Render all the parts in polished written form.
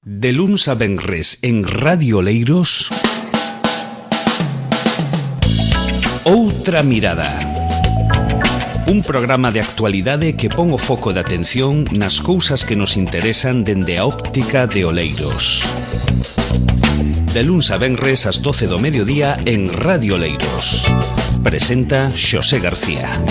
De luns a venres en Radio Oleiros, Outra Mirada. Un programa de actualidade que pon o foco de atención nas cousas que nos interesan dende a óptica de Oleiros. De luns a venres ás 12 do mediodía en Radio Oleiros. Presenta Xosé García.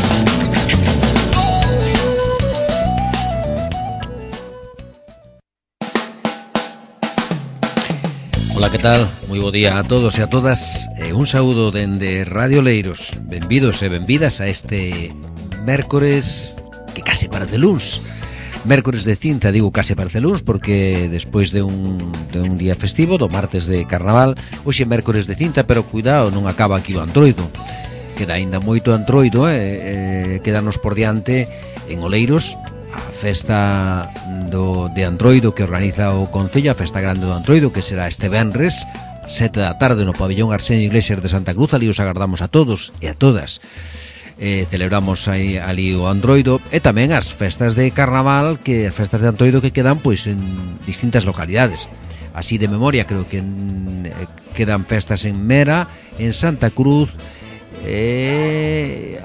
Ola, que tal? Moi bo día a todos e a todas. Un saúdo dende Radio Oleiros. Benvidos e benvidas a este mércores que case parece luns. Mércores de cinta, digo case parece luns porque despois de un día festivo, do martes de carnaval, hoxe mércores de cinta, pero cuidado, non acaba aquí o Antroido. Queda aínda moito Antroido, quedanos por diante en Oleiros a festa de Antroido que organiza o Concello, a festa grande do Antroido, que será este venres 7 da tarde no pabellón Arsenio Iglesias de Santa Cruz. Ali os agardamos a todos e a todas. Celebramos aí ali o Antroido e tamén as festas de carnaval, que as festas de Antroido que quedan pois en distintas localidades. Así de memoria creo que quedan festas en Mera, en Santa Cruz,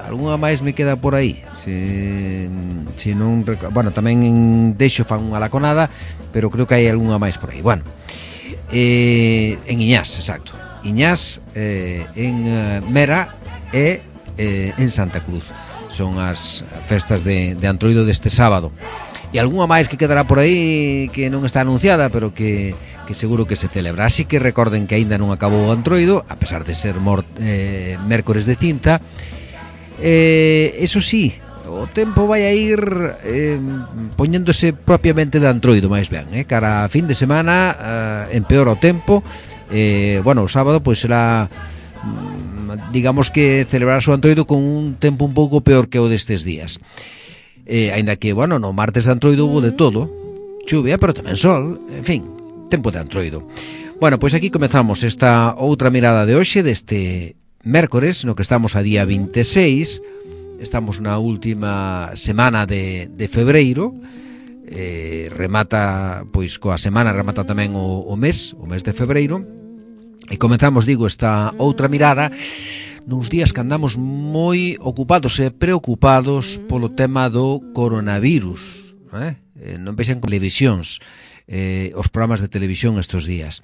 algunha máis me queda por aí. Se non, bueno, tamén en Deixo fan unha laconada, pero creo que hai algunha máis por aí. Bueno, en Iñás, exacto. Iñás, en Mera e en Santa Cruz. Son as festas de Antroido deste sábado. E algunha máis que quedará por aí que non está anunciada, pero que seguro que se celebra. Así que recorden que aínda non acabou o Antroido, a pesar de ser mércores de cinta. Eso sí, o tempo vai a ir poñéndose propiamente de Antroido máis ben, cara a fin de semana empeora o tempo. Bueno, o sábado pois será, digamos que celebrarse o Antroido con un tempo un pouco peor que o destes días. Aínda que, bueno, no martes de Antroido hubo de todo, chuvia, pero tamén sol, en fin, tempo de Antroido. Bueno, pois aquí comezamos esta outra mirada de hoxe, deste mércores, no que estamos a día 26. Estamos na última semana de febreiro. Remata, pois coa semana remata tamén o mes de febreiro. E comezamos, digo, esta outra mirada nuns días que andamos moi ocupados e preocupados polo tema do coronavirus, non vexan con televisións, os programas de televisión estes días.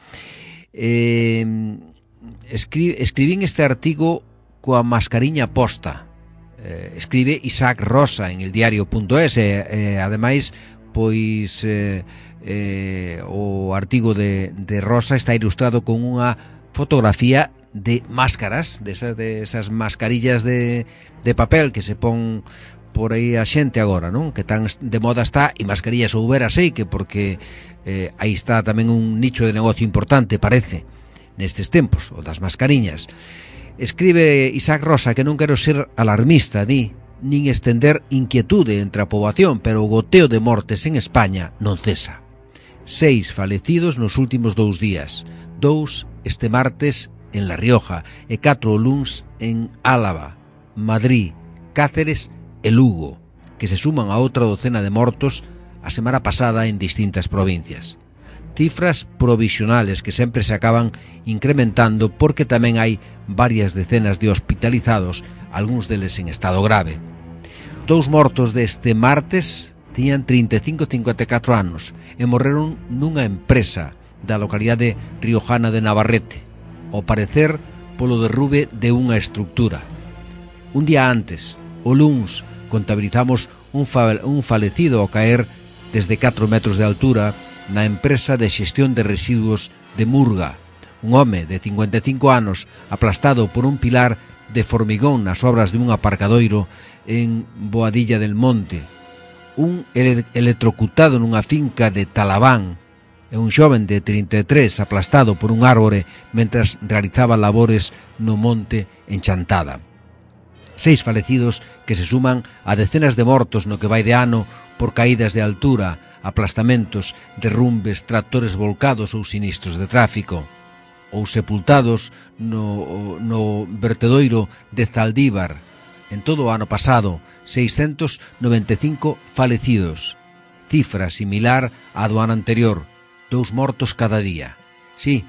Escribín este artigo coa mascariña posta. Escribe Isaac Rosa en el diario.es, ademais, pois o artigo de Rosa está ilustrado con unha fotografía de máscaras, de esas mascarillas de papel que se pon por aí a xente agora, non? Que tan de moda está, e mascarillas houbera sei que porque aí está tamén un nicho de negocio importante, parece, nestes tempos, o das mascariñas. Escribe Isaac Rosa que non quero ser alarmista, nin estender inquietude entre a poboación, pero o goteo de mortes en España non cesa. 6 falecidos nos últimos 2 días, 2 este martes en La Rioja e 4 luns en Álava, Madrid, Cáceres e Lugo, que se suman a outra docena de mortos a semana pasada en distintas provincias. Cifras provisionales que sempre se acaban incrementando porque tamén hai varias decenas de hospitalizados, algúns deles en estado grave. 2 mortos deste martes tiñan 35 e 54 anos e morreron nunha empresa da localidade riojana de Navarrete, ao parecer polo derrube de unha estructura. Un día antes, o luns, contabilizamos un falecido ao caer desde 4 metros de altura na empresa de xestión de residuos de Murga, un home de 55 anos aplastado por un pilar de formigón nas obras de un aparcadoiro en Boadilla del Monte, un electrocutado nunha finca de Talabán e un xoven de 33 aplastado por un árbore mentras realizaba labores no monte en Chantada. 6 falecidos que se suman a decenas de mortos no que vai de ano por caídas de altura, aplastamentos, derrumbes, tractores volcados ou sinistros de tráfico, ou sepultados no vertedoiro de Zaldívar. En todo o ano pasado, 695 falecidos, cifra similar á do ano anterior, 2 mortos cada día. Sí,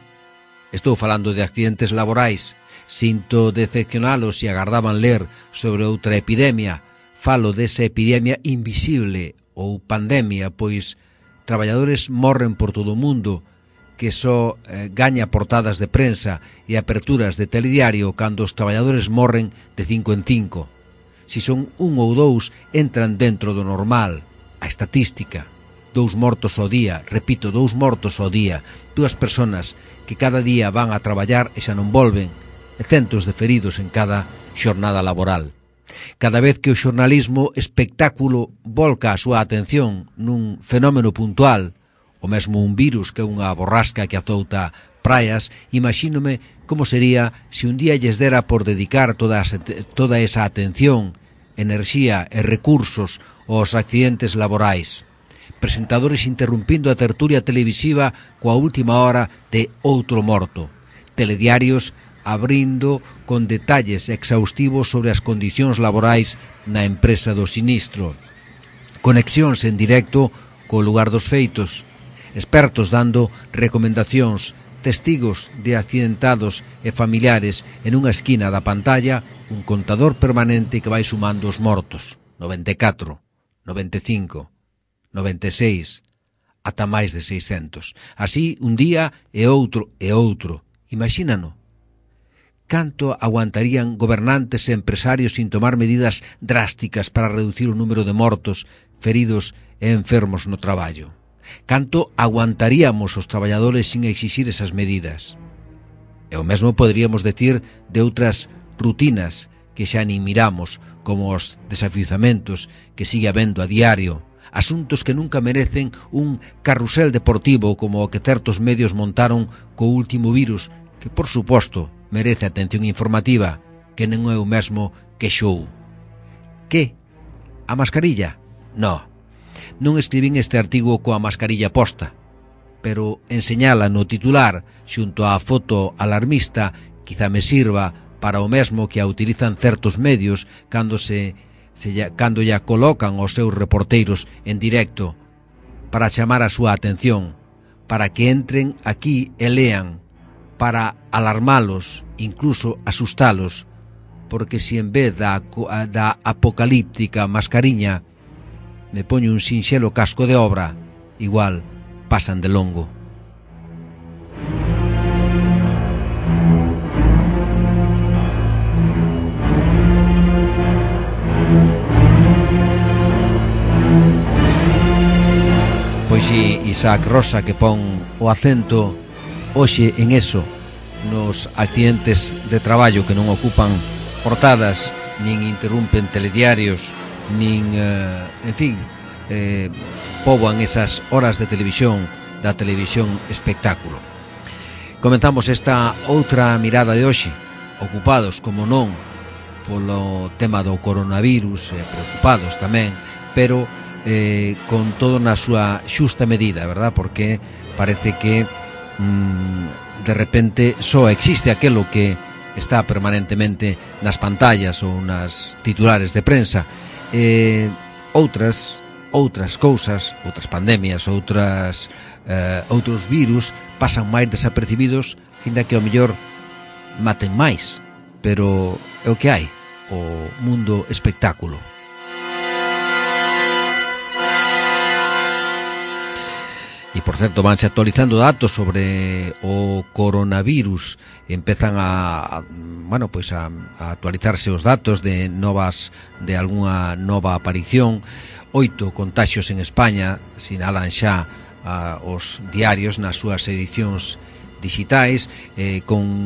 estou falando de accidentes laborais. Sinto decepcionalos se agardaban ler sobre outra epidemia. Falo desa epidemia invisible ou pandemia, pois traballadores morren por todo o mundo que só gaña portadas de prensa e aperturas de telediario cando os traballadores morren de 5 en 5. Si son 1 ou 2, entran dentro do normal, a estatística. 2 mortos ao día, repito, 2 mortos ao día, 2 personas que cada día van a traballar e xa non volven, e centos de feridos en cada xornada laboral. Cada vez que o xornalismo espectáculo volca a súa atención nun fenómeno puntual, o mesmo un virus que é unha borrasca que azouta praias, imagínome como sería se un día lles dera por dedicar toda esa atención, enerxía e recursos aos accidentes laborais. Presentadores interrumpindo a tertulia televisiva coa última hora de outro morto. Telediarios abrindo con detalles exhaustivos sobre as condicións laborais na empresa do sinistro. Conexións en directo co lugar dos feitos. Expertos dando recomendacións, testigos de accidentados e familiares en unha esquina da pantalla, un contador permanente que vai sumando os mortos. 94, 95, 96, ata máis de 600. Así, un día e outro e outro. Imagínano. Canto aguantarían gobernantes e empresarios sin tomar medidas drásticas para reducir o número de mortos, feridos e enfermos no traballo? Canto aguantaríamos os traballadores sin exixir esas medidas? E o mesmo poderíamos decir de outras rutinas que xa nin miramos, como os desafiuzamentos que sigue habendo a diario, asuntos que nunca merecen un carrusel deportivo como o que certos medios montaron co último virus, que, por suposto, merece atención informativa, que non é o mesmo que show. Que? A mascarilla? No. Non escribín este artigo coa mascarilla posta, pero enseñala no titular xunto á foto alarmista quizá me sirva para o mesmo que a utilizan certos medios cando ya colocan os seus reporteiros en directo para chamar a súa atención, para que entren aquí e lean, para alarmalos, incluso asustalos, porque si en vez da apocalíptica mascariña me poño un sinxelo casco de obra, igual pasan de longo. Pois si, Isaac Rosa que pon o acento hoxe en eso, nos accidentes de traballo que non ocupan portadas, nin interrumpen telediarios, nin, en fin, poboan esas horas de televisión, da televisión espectáculo. Comentamos esta outra mirada de hoxe, ocupados, como non, polo tema do coronavirus, preocupados tamén, pero con todo na súa xusta medida, verdad? Porque parece que de repente só existe aquelo que está permanentemente nas pantallas ou nas titulares de prensa. Outras cousas, outras pandemias, outros virus pasan máis desapercibidos, ainda que ao mellor maten máis, pero é o que hai, o mundo espectáculo. E, por certo, vanse actualizando datos sobre o coronavirus. Empezan a actualizarse os datos de algunha nova aparición. 8 contaxios en España, sinalan xa os diarios nas súas edicións digitais, con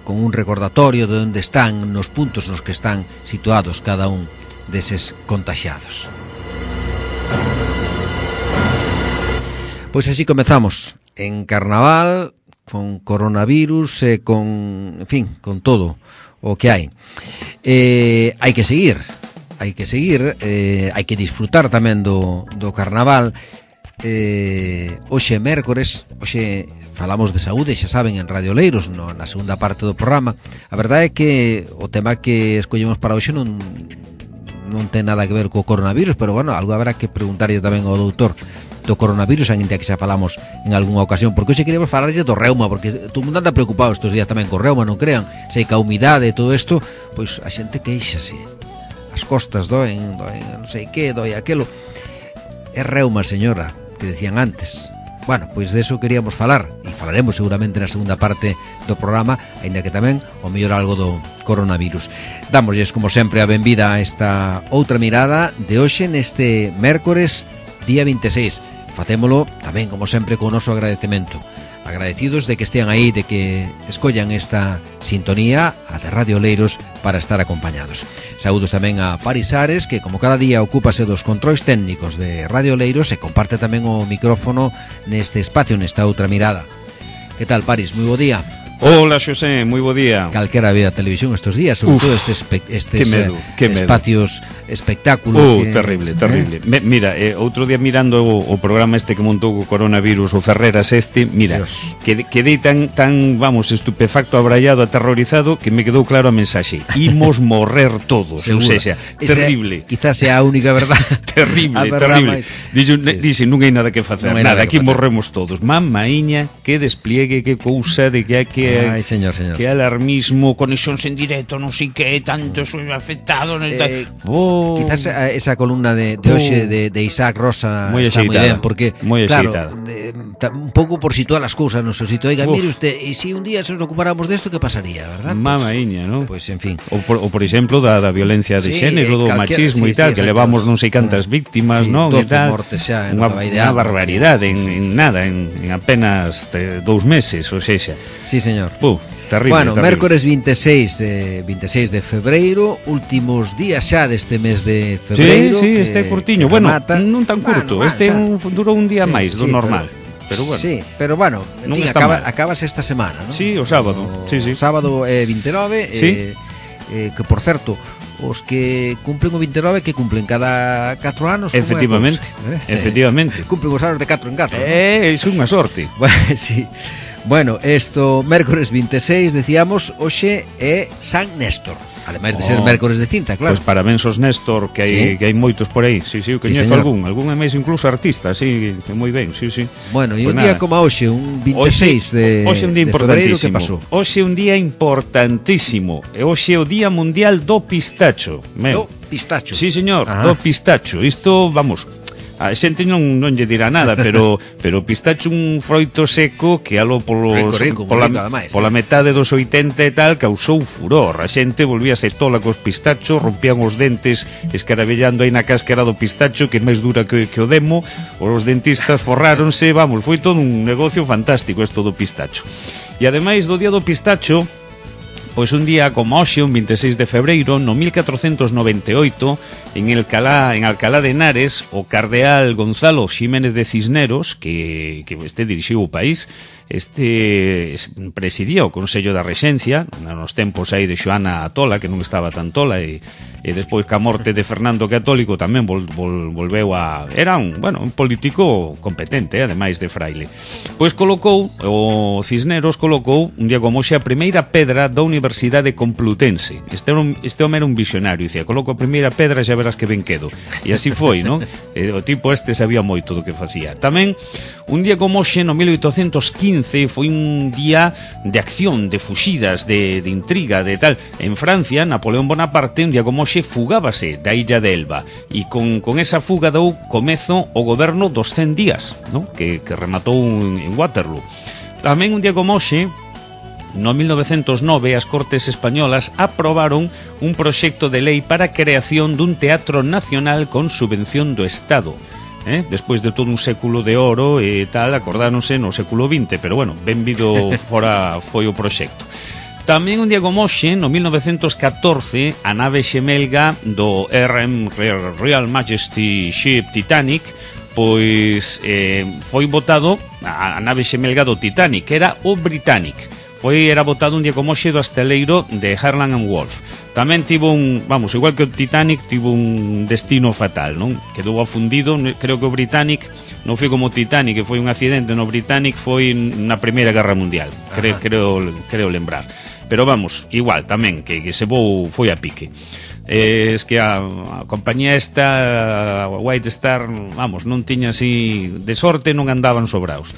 un recordatorio de onde están, nos puntos nos que están situados cada un deses contaxiados. Pois así comezamos en Carnaval, con coronavirus e con todo o que hai. Hai que seguir, hai que disfrutar tamén do Carnaval. Hoxe mércores, hoxe falamos de saúde, xa saben, en Radio Oleiros, na segunda parte do programa. A verdade é que o tema que escollemos para hoxe non ten nada que ver co coronavirus, pero bueno, algo habrá que preguntarlle tamén ao doutor do coronavirus, ainda que xa falamos en algunha ocasión, porque hoxe queremos falarlle do reuma, porque todo mundo anda preocupado estes días tamén co reuma, non crean, sei que a humidade e todo isto, pois a xente queixase, as costas doen, non sei que, doi aquelo. É reuma, señora, que decían antes. Bueno, pois de eso queríamos falar, e falaremos seguramente na segunda parte do programa, aínda que tamén o mellor algo do coronavirus. Dámoslles, como sempre, a benvida a esta outra mirada de hoxe neste mércores día 26. Facémolo tamén, como sempre, con o noso agradecemento. Agradecidos de que estean aí, de que escollan esta sintonía, a de Radio Oleiros, para estar acompañados. Saúdos tamén a Paris Ares, que como cada día ocúpase dos controis técnicos de Radio Oleiros e comparte tamén o micrófono neste espacio, nesta outra mirada. Que tal, Paris? Moi bo día. Hola, Xosé, moi bo día. Calquera vea televisión estes días, sobre todo estes que espacios espectáculo. Terrible. Mira, outro día mirando o programa este que montou o coronavirus, o Ferreras mira, quedei tan, vamos, estupefacto, abraiado, aterrorizado, que me quedou claro a mensaxe. Imos morrer todos, ou seja, terrible. Quizás sea a única verdad. terrible. Dixe, non hai nada que facer, nada, aquí morremos todos. Mamaíña, que despliegue, que cousa de que hai que Ay, señor. Que alarmismo, conexións en directo, non sei que, tantos afectados, quizás esa columna de hoxe de Isaac Rosa muy está moi ben, porque claro, un pouco por situar as cousas no seu sitio. Oiga, mire usted, e se un día se nos ocupáramos desto, que pasaría, verdad? Mamaíña, non? Pois, en fin. Ou por exemplo, da violencia de xénero, do machismo e tal, que levamos non sei cantas víctimas, non? 12 mortes xa, unha barbaridade, en nada, en apenas 2 meses, ou sexa. Sí, señor. Terrible, bueno, terrible. mércores 26 de febreiro, últimos días xa deste mes de febreiro. Sí, este curtiño. Bueno, non tan curto, durou un día máis do normal. Pero bueno. Sí, pero bueno, en fin, acabas esta semana, ¿no? Sí, o sábado. Sí. O sábado 29, sí. Que por certo, os que cumplen o 29 que cumplen cada 4 anos. Efectivamente. Cumplen os anos de 4 en 4. É unha sorte. Bueno, sí. Bueno, esto, mércores 26, decíamos, hoxe é San Néstor. Ademais de ser mércores de cinta, claro. Pois parabéns aos Néstor, que hai moitos por aí. Sí, eu coñezo algún é máis incluso artista, sí, que moi ben, sí. Bueno, e un día como hoxe, un 26 de febreiro, que pasou? Hoxe é un día importantísimo. E hoxe é o Día Mundial do Pistacho. Do pistacho? Sí, señor, do pistacho. Isto, vamos, a xente non lle dirá nada, pero pistacho un froito seco que alo pola metade dos 80 e tal causou furor. A xente volvíase tola cos pistachos, rompían os dentes escarabellando aí na cáscara do pistacho, que é máis dura que o demo. Os dentistas forráronse, vamos, foi todo un negocio fantástico isto do pistacho. E ademais do día do pistacho, pois un día como hoxe, un 26 de febreiro, no 1498, en Alcalá de Henares, o cardeal Gonzalo Ximénez de Cisneros, que dirixiu o país, presidía o Consello da Rexencia nos tempos aí de Xoana a Tola, que non estaba tan tola, e despois ca morte de Fernando Católico tamén volveu a... Era un político competente, ademais de fraile. Pois colocou, o Cisneros colocou un día como hoxe a primeira pedra da Universidade Complutense. Este home era un visionario, dicía, coloco a primeira pedra, xa verás que ben quedo. E así foi, non? O tipo sabía moito do que facía. Tamén, un día como hoxe, no 1815, foi un día de acción, de fuxidas, de intriga, de tal. En Francia, Napoleón Bonaparte, un día como hoxe, fugábase da illa de Elba, e con esa fuga dou comezo o goberno dos 100 días, ¿no? que rematou en Waterloo. Tamén un día como hoxe, no 1909, as Cortes Españolas aprobaron un proxecto de lei para a creación dun teatro nacional con subvención do Estado. Despois de todo un século de oro e tal, acordáronse no século XX, pero bueno, benvido fora foi o proxecto. Tamén un día como hoxe, no 1914, a nave xemelga do Royal Majesty Ship Titanic, pois foi botado a nave xemelga do Titanic, que era o Britannic. Era botado un día como hoxe do asteleiro de Harland and Wolff. Tamén tivo igual que o Titanic, tivo un destino fatal, non? Quedou afundido, creo que o Britannic non foi como o Titanic, que foi un accidente, no Britannic foi na Primeira Guerra Mundial, creo lembrar. Pero vamos, igual tamén, que se foi a pique. Es que a compañía esta, White Star, vamos, non tiña así de sorte, non andaban sobraos.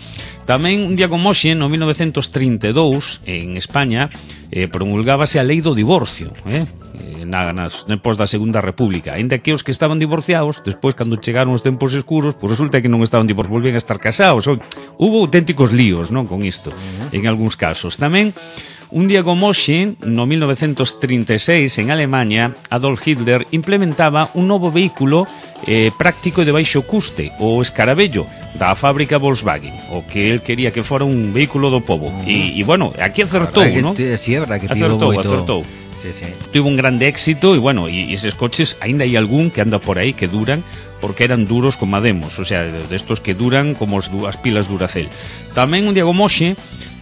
Tamén un día como hoxe, no 1932, en España, promulgábase a lei do divorcio, nas tempos da Segunda República. Ainda que os que estaban divorciados, despois, cando chegaron os tempos escuros, pues resulta que non estaban divorciados, volvían a estar casados. Hubo auténticos líos, non, con isto, en algúns casos. Tamén, un día como hoxe, no 1936, en Alemania, Adolf Hitler implementaba un novo vehículo práctico e de baixo custe, o Escaravello, da fábrica Volkswagen, o que él quería que fora un vehículo do pobo. E bueno, aquí acertou, non? Sí, é verdad que acertou. Sí. Tuvo un grande éxito e bueno, e eses coches, aínda hai algún que anda por aí que duran, porque eran duros como Ademos, o sea, destos que duran como as pilas Duracell. Tamén un día como hoxe,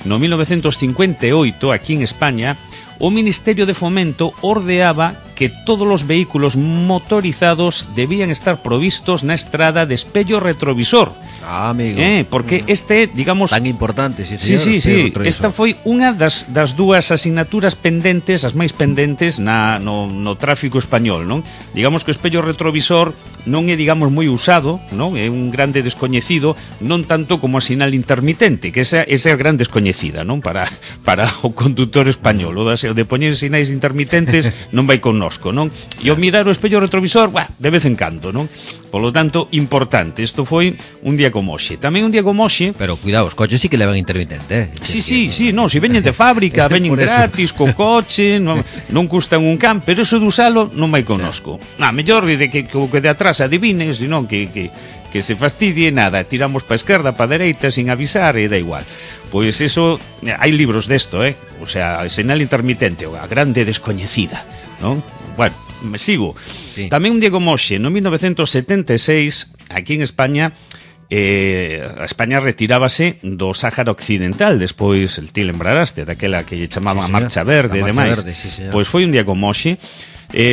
no 1958, aquí en España, o Ministerio de Fomento ordeaba que todos os vehículos motorizados debían estar provistos na estrada de espello retrovisor. Amigo. Porque este, digamos... Tan importante, sí. Esta foi unha das dúas asignaturas pendentes, as máis pendentes no tráfico español, non? Digamos que o espello retrovisor non é, digamos, moi usado, non? É un grande descoñecido, non tanto como a sinal intermitente, que esa é a gran descoñecida, non? Para o conductor español, o de poñer sinais intermitentes non vai connosco, non? E o mirar o espello retrovisor, de vez en cando, non? Polo tanto, importante. Isto foi un día como hoxe. Tamén un día como hoxe... Pero cuidado, os coches sí que levan intermitente, Sí, non, se veñen de fábrica, veñen gratis, co coche, non custan un can, pero eso de usalo non vai connosco. Mellor de que de atrás adivines, senón que se fastidie, nada, tiramos pa esquerda, pa dereita, sin avisar, e da igual. Pois eso, hai libros desto, o sea, señal intermitente, a grande descoñecida, non? Bueno, me sigo. Sí. Tamén un día como hoxe, no 1976, aquí en España, a España retirábase do Sáhara Occidental. Despois, ti lembraraste daquela que lle chamaban a Marcha Verde e demais. Pois foi un día como hoxe.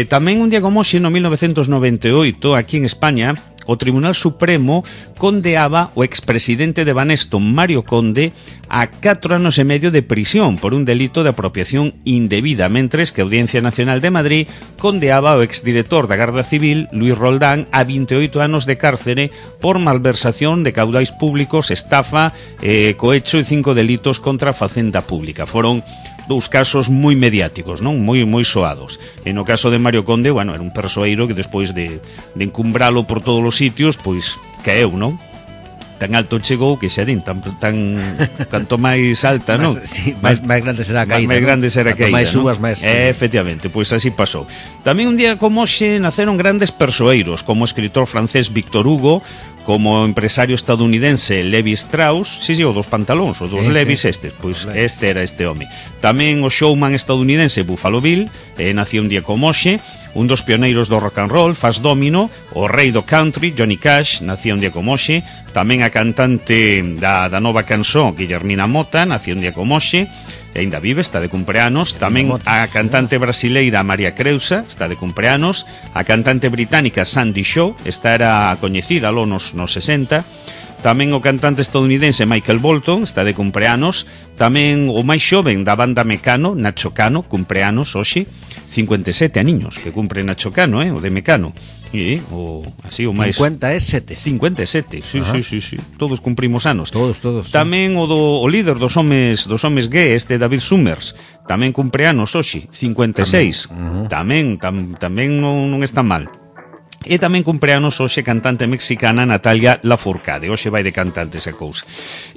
Tamén un día como hoxe, no 1998, aquí en España, o Tribunal Supremo condeaba o expresidente de Banesto, Mario Conde, a 4 anos e medio de prisión por un delito de apropiación indebida, mentres que a Audiencia Nacional de Madrid condeaba ao exdirector da Garda Civil, Luis Roldán, a 28 anos de cárcere por malversación de caudais públicos, estafa, cohecho e 5 delitos contra a facenda pública. Foron dous casos moi mediáticos, non? Moi soados. E no caso de Mario Conde, bueno, era un persoeiro que despois de encumbralo por todos os sitios, pois caeu, non? Tan alto chegou que xa din, tan canto máis alta, non? Sí, máis grande será a caída. Máis grande será a caída, máis subas, máis... Efectivamente, pois así pasou. Tamén un día como hoxe naceron grandes persoeiros, como o escritor francés Victor Hugo, como o empresario estadounidense Levi Strauss, o dos pantalóns, os dos Levis estes, pois este era este home. Tamén o showman estadounidense Buffalo Bill, nacía un día como hoxe. Un dos pioneiros do rock and roll, Fats Domino, o rei do country, Johnny Cash, nacía un día como hoxe. Tamén a cantante da nova canción, Guillermina Mota, nacía un día como hoxe. E ainda vive, está de cumpleanos. Tamén a cantante brasileira María Creusa está de cumpleanos. A cantante británica Sandy Shaw, esta era coñecida lo nos 60. Tamén o cantante estadounidense Michael Bolton está de cumpleanos. Tamén o máis xoven da banda Mecano, Nacho Cano, cumpleanos hoxe. 57 aniños que cumpre Nacho Cano, o de Mecano. E o máis 57. 57, sí. Todos cumprimos anos. Todos. Tamén o líder dos homes gay, este David Summers, tamén cumpre anos hoxe, 56. Tamén non está mal. E tamén cumpleanos hoxe cantante mexicana Natalia Lafourcade. Hoxe vai de cantante esa cousa.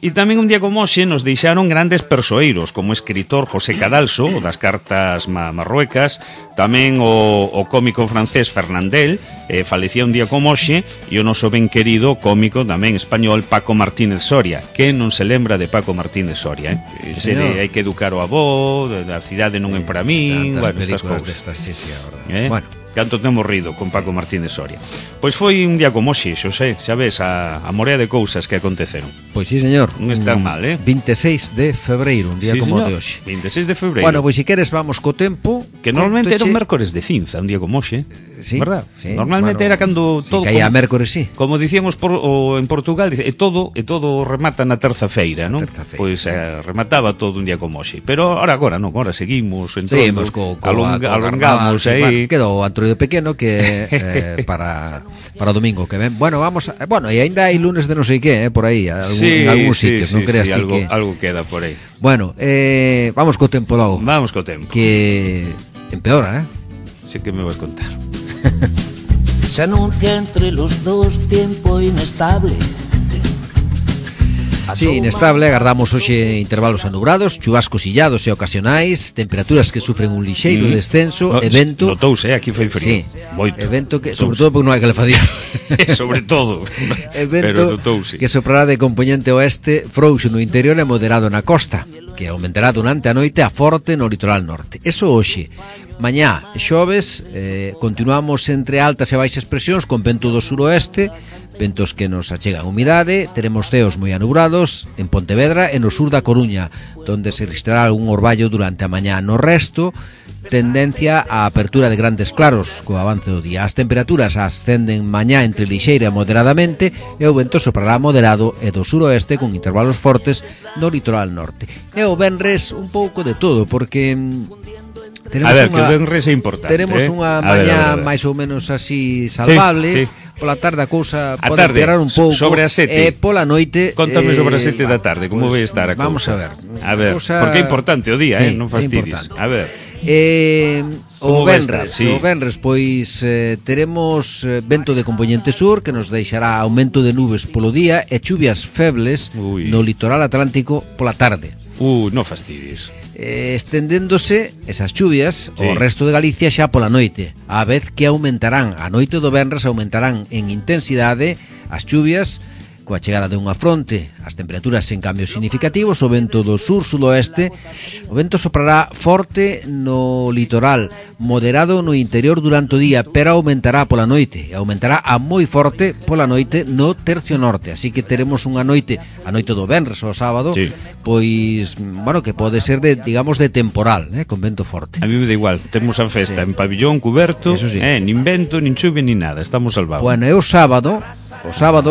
E tamén un día como hoxe nos deixaron grandes persoeiros, como o escritor José Cadalso, o das cartas marruecas. Tamén o cómico francés Fernandel, falecía un día como hoxe. E o noso ben querido cómico tamén español Paco Martínez Soria. Que non se lembra de Paco Martínez Soria, Ese de hai que educar o avó, a cidade non é para min, estas cousas. Bueno, canto temos rido con Paco Martínez Soria. Pois foi un día como hoxe, Xosé, xa ves a morea de cousas que aconteceron. Pois sí, señor. Non están mal, 26 de febreiro, un día como de hoxe. 26 de febreiro. Bueno, pois se queres vamos co tempo. Que normalmente era un mércores de cinza, un día como hoxe. Sí, verdad? Sí, normalmente era cando todo caía mércores, sí. Como dicíamos en Portugal, e todo remata na terza feira, non? Pois remataba todo un día como hoxe. Pero agora non, agora seguimos entrando, alongamos aí. Quedou outro repertorio pequeno que para o domingo que ven. Bueno, e aínda hai lunes de non sei que, por aí, en algúns sitios, non creas ti que algo queda por aí. Bueno, vamos co tempo logo. Vamos co tempo. Que empeora, Sí que me vas contar. Se anuncia entre los dos tiempo inestable. Sí, inestable, agardamos hoxe intervalos anubrados, chubascos illados e ocasionais, temperaturas que sufren un lixeiro descenso, evento... Notouse, aquí foi frío. Sí, moito. Evento que, sobre todo porque non hai calefacción. Sobre todo. Evento que soprará de componente oeste, frouxo no interior e moderado na costa, que aumentará durante a noite a forte no litoral norte. Eso hoxe. Mañá, xoves, continuamos entre altas e baixas presións con vento do suroeste, ventos que nos achegan humidade, teremos ceos moi anubrados en Pontevedra e no sur da Coruña, donde se registrará algún orballo durante a mañá. No resto, tendencia á apertura de grandes claros co avance do día. As temperaturas ascenden mañá entre lixeira e moderadamente e o vento soprará moderado e do suroeste con intervalos fortes no litoral norte. E o venres un pouco de todo, porque... que o venres é importante. Teremos unha mañá máis ou menos así salvable. Sí. Pola tarde a cousa pode empeorar un pouco. Sobre as 7. E pola noite... Contame sobre as 7 da tarde, como vai estar a cousa. Vamos a ver. Porque é importante o día, non fastidies. A ver. O venres, pois teremos vento de componente sur que nos deixará aumento de nubes polo día e chuvias febles no litoral atlántico pola tarde. Non fastidies. Estendéndose esas chuvias ao resto de Galicia xa pola noite, a vez que aumentarán a noite do venres, aumentarán en intensidade as chuvias coa chegada de unha fronte, as temperaturas sen cambios significativos, o vento do sur-sudoeste, o vento soprará forte no litoral, moderado no interior durante o día, pero aumentará pola noite, e aumentará a moi forte pola noite no tercio norte, así que teremos unha noite, a noite do venres ao sábado, pois, bueno, que pode ser de, digamos, de temporal, con vento forte. A mí me da igual, temos a festa en pabillón cuberto, nin vento, nin chuvia, nin nada, estamos salvados. Bueno, e o sábado,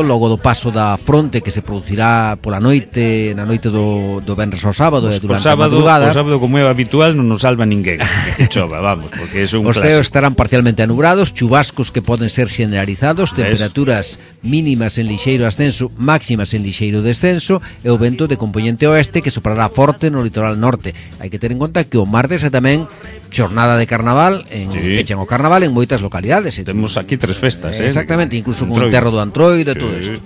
logo do paso da fronte que se producirá pola noite, na noite do venres ao sábado e durante a madrugada. O sábado, como é habitual, non nos salva ninguén que chova, vamos, porque é un clásico. Os ceos estarán parcialmente anubrados, chubascos que poden ser generalizados, temperaturas mínimas en lixeiro ascenso, máximas en lixeiro descenso e o vento de componente oeste que soprará forte no litoral norte. Hai que ter en conta que o martes é tamén xornada de carnaval, pechan o carnaval en moitas localidades. Temos aquí 3 festas, exactamente, incluso con o enterro do Antroido e todo isto.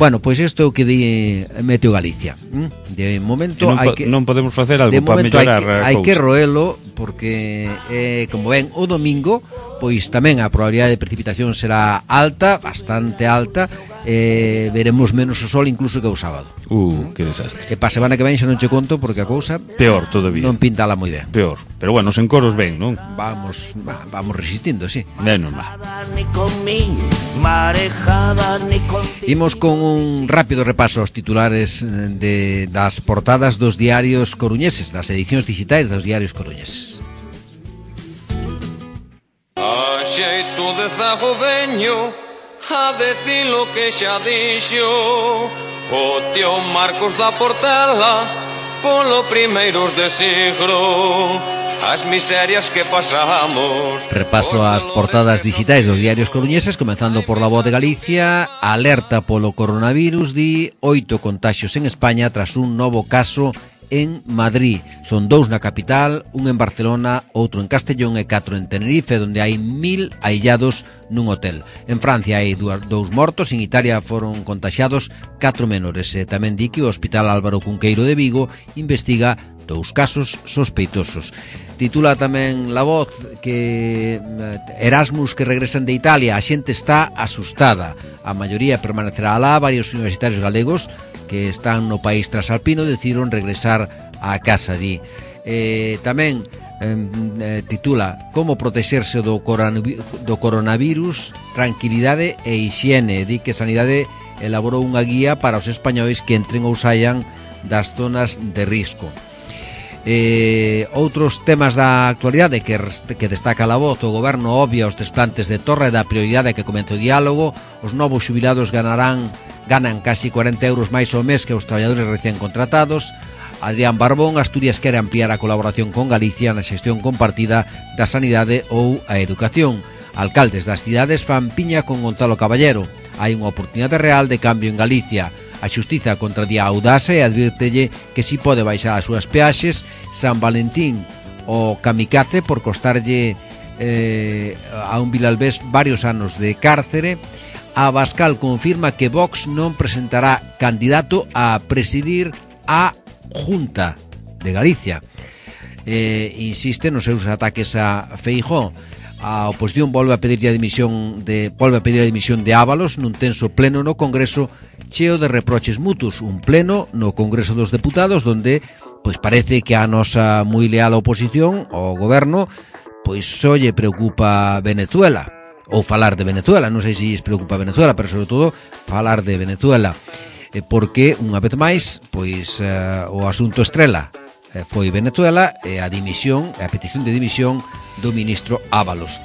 Bueno, pois isto que di Meteo Galicia. De momento non podemos facer algo para mellorar a cousa. Hai que roelo porque como ven o domingo, pois tamén a probabilidade de precipitación será alta, bastante alta. Veremos menos o sol incluso que o sábado. Que desastre. E pa semana que ven xa non che conto porque a cousa peor todavía. Non pintala moi ben. Peor. Pero bueno, os encoros ben, non? Vamos resistindo, sí. Menos mal. Imos con un rápido repaso aos titulares das portadas dos diarios coruñeses, das edicións digitais dos diarios coruñeses. A xeito de zago veño a decir lo que xa dixo o tío Marcos da Portela polo primeiros de siglo. As miserias que pasamos. Repaso as portadas digitais dos diarios coruñeses, comenzando por La Voz de Galicia. Alerta polo coronavirus, di 8 contaxios en España tras un novo caso en Madrid. Son 2 na capital, un en Barcelona, outro en Castellón e 4 en Tenerife, onde hai 1000 aillados nun hotel. En Francia hai 2 mortos, en Italia foron contaxiados 4 menores. Tamén di que o Hospital Álvaro Cunqueiro de Vigo investiga 2 casos sospeitosos. Titula tamén La Voz que Erasmus que regresan de Italia, a xente está asustada. A maioría permanecerá alá, varios universitarios galegos que están no país trasalpino decidiron regresar á casa, di. Tamén titula Como protexerse do coronavirus, tranquilidade e hixiene. Di que Sanidade elaborou unha guía para os españois que entren ou saian das zonas de risco. Outros temas da actualidade que destaca La Voz. O goberno obvia os desplantes de Torre da prioridade que comece o diálogo. Os novos xubilados ganan casi 40 euros máis ao mes que os traballadores recén contratados. Adrián Barbón, Asturias quere ampliar a colaboración con Galicia na xestión compartida da sanidade ou a educación. Alcaldes das cidades fan piña con Gonzalo Caballero. Hai unha oportunidade real de cambio en Galicia. A xustiza contradía a Audasa e advírtelle que si pode baixar as súas peaxes. San Valentín o kamikaze por costarlle a un Vilalbés varios anos de cárcere. A Abascal confirma que Vox non presentará candidato a presidir a Junta de Galicia. Insiste nos seus ataques a Feijóo. A oposición volve a pedir a dimisión de Ábalos nun tenso pleno no Congreso cheo de reproches mutuos. Un pleno no Congreso dos Deputados donde pois parece que a nosa moi leal oposición ao goberno pois só lle preocupa Venezuela, ou falar de Venezuela. Non sei se lles preocupa Venezuela, pero sobre todo falar de Venezuela, porque unha vez máis pois o asunto estrela foi Venezuela e a petición de dimisión do ministro Ábalos.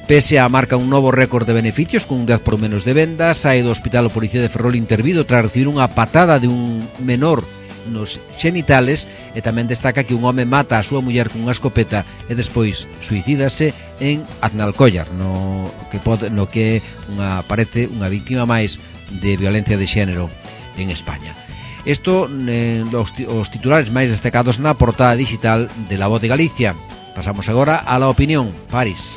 PSA marca un novo récord de beneficios con un 10 por menos de vendas. Sae do hospital o policía de Ferrol intervido tras recibir unha patada de un menor nos xenitales, e tamén destaca que un home mata a súa muller con unha escopeta e despois suicídase en Aznalcóllar, no que parece unha víctima máis de violencia de xénero en España. Isto os titulares máis destacados na portada digital de La Voz de Galicia. Pasamos agora a la opinión. Paris.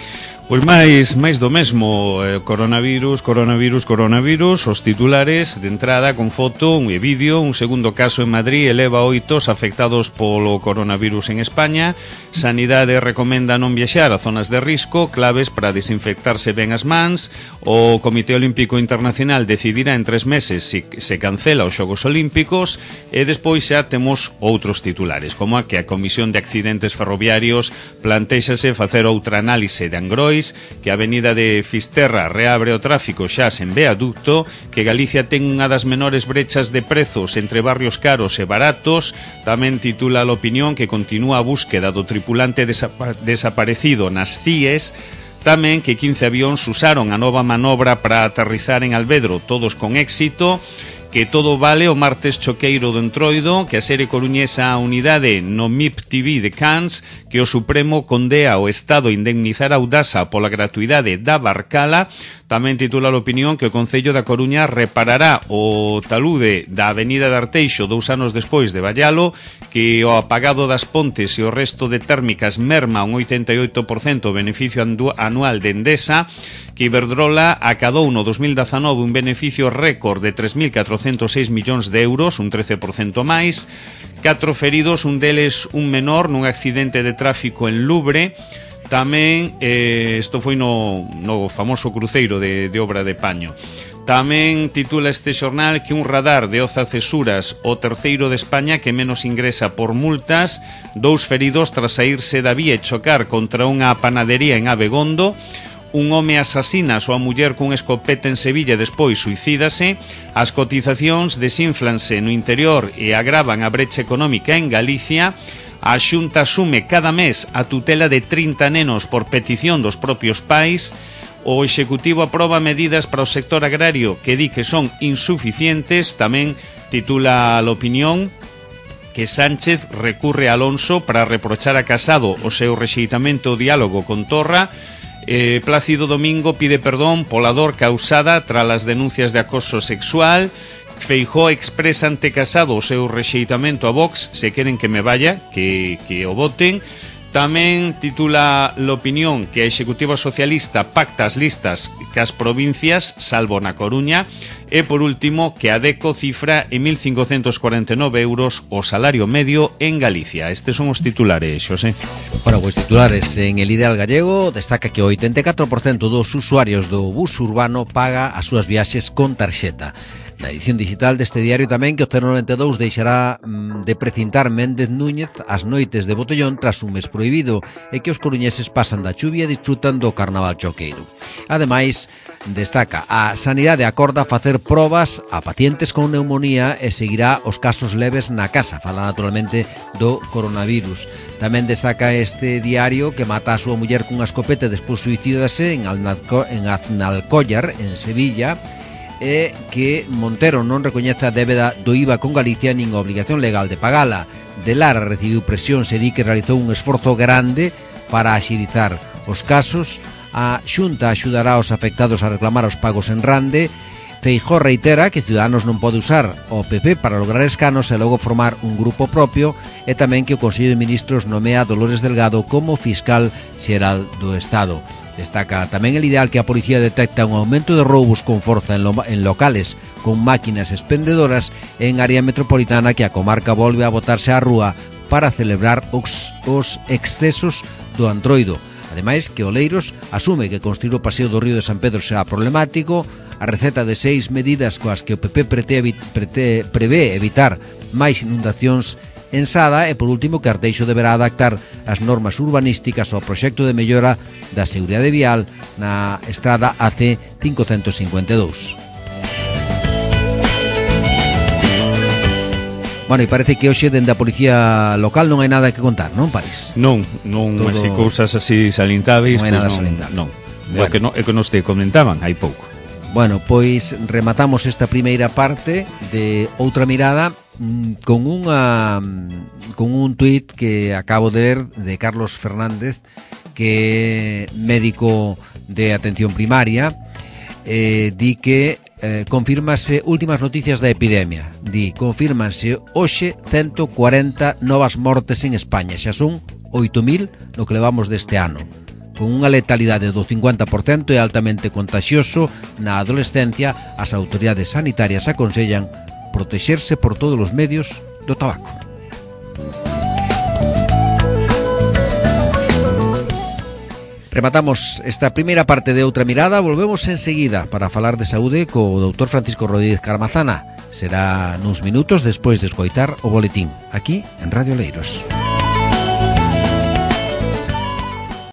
Pois máis do mesmo, coronavirus, os titulares de entrada con foto e vídeo. Un segundo caso en Madrid eleva 8 os afectados polo coronavirus en España. Sanidade recomenda non viaxar a zonas de risco, claves para desinfectarse ben as mans. O Comité Olímpico Internacional decidirá en 3 meses se cancela os Xogos Olímpicos. E despois xa temos outros titulares, como a que a Comisión de Accidentes Ferroviarios plantéxase facer outra análise de Angrois, que a avenida de Fisterra reabre o tráfico xa sen viaducto, que Galicia ten unha das menores brechas de prezos entre barrios caros e baratos. Tamén titula a opinión que continúa a búsqueda do tripulante desaparecido nas CIES. Tamén que 15 avións usaron a nova manobra para aterrizar en Alvedro, todos con éxito. Que todo vale o martes choqueiro do Entroido, que a serie coruñesa a unidade no MIP TV de Cans, que o Supremo condea ao Estado indemnizar a Audasa pola gratuidade da Barcala. Tamén titula a opinión que o Concello da Coruña reparará o talude da avenida de Arteixo 2 anos despois de Vallalo, que o apagado das pontes e o resto de térmicas merma un 88% o beneficio anual de Endesa, que Iberdrola acadou no 2019 un beneficio récord de 3.406 millóns de euros, un 13% máis. 4 feridos, un deles un menor nun accidente de tráfico en Lubre. Tamén, isto foi no famoso cruceiro de Obra de Paño. Tamén titula este xornal que un radar de Oza Cesuras, o terceiro de España que menos ingresa por multas. 2 feridos tras saírse da vía e chocar contra unha panadería en Abegondo. Un home asasina a súa muller cun escopeta en Sevilla e despois suicídase. As cotizacións desínflanse no interior e agravan a brecha económica en Galicia. A Xunta asume cada mes a tutela de 30 nenos por petición dos propios pais. O Executivo aproba medidas para o sector agrario que di que son insuficientes. Tamén titula a opinión que Sánchez recurre a Alonso para reprochar a Casado o seu rexeitamento ao diálogo con Torra. Plácido Domingo pide perdón pola dor causada tras as denuncias de acoso sexual. Feijóo expresa ante Casado o seu rexeitamento a Vox. Se queren que me vaya, que o voten. Tamén titula l'opinión que a Executiva Socialista pacta as listas cas provincias, salvo na Coruña. E, por último, que a DECO cifra en 1.549 euros o salario medio en Galicia. Estes son os titulares, Xosé. Bueno, pois titulares en el Ideal Gallego destaca que o 84% dos usuarios do bus urbano paga as súas viaxes con tarxeta. Na edición digital deste diario tamén que o 092 deixará de precintar Méndez Núñez as noites de botellón tras un mes prohibido e que os coruñeses pasan da chuvia e disfrutan do carnaval choqueiro. Ademais, destaca a Sanidade acorda facer probas a pacientes con neumonía e seguirá os casos leves na casa. Fala naturalmente do coronavirus. Tamén destaca este diario que mata a súa muller cunha escopeta e despois suicídase en Aznalcóllar, en Sevilla. é que Montero non recoñece a débeda do IVA con Galicia nin a obligación legal de pagala. De Lara recibiu presión, se di que realizou un esforzo grande para axilizar os casos. A Xunta axudará aos afectados a reclamar os pagos en Rande. Feijóo reitera que Ciudadanos non pode usar o PP para lograr escanos e logo formar un grupo propio, e tamén que o Consello de Ministros nomea a Dolores Delgado como fiscal xeral do Estado. Destaca tamén el ideal que a policía detecta un aumento de roubos con forza en locales con máquinas expendedoras en área metropolitana, que a comarca volve a botarse á rúa para celebrar os excesos do Antroido. Ademais, que Oleiros asume que construir o paseo do río de San Pedro será problemático. A receta de 6 medidas coas que o PP prevé evitar máis inundacións en Sada, e por último que Arteixo deberá adaptar as normas urbanísticas ao proxecto de mellora da seguridade vial na estrada AC 552. Bueno, e parece que hoxe dende a policía local non hai nada que contar, non, París? Non, todo... así cousas así salientáveis, non hai nada salientar. Non. Bueno. É que nos te comentaban hai pouco. Bueno, pois rematamos esta primeira parte de Outra Mirada con un tuit que acabo de ler de Carlos Fernández, que é médico de atención primaria. Di que confírmase últimas noticias da epidemia. Di, confírmanse hoxe 140 novas mortes en España. Xa son 8.000 no que levamos deste ano, con unha letalidade do 50% e altamente contagioso. Na adolescencia, as autoridades sanitarias aconsellan protexerse por todos os medios do tabaco. Rematamos esta primeira parte de Outra Mirada. Volvemos enseguida para falar de saúde co Dr. Francisco Rodríguez Carmazana. Será nuns minutos despois de escoitar o boletín, aquí en Radio Oleiros.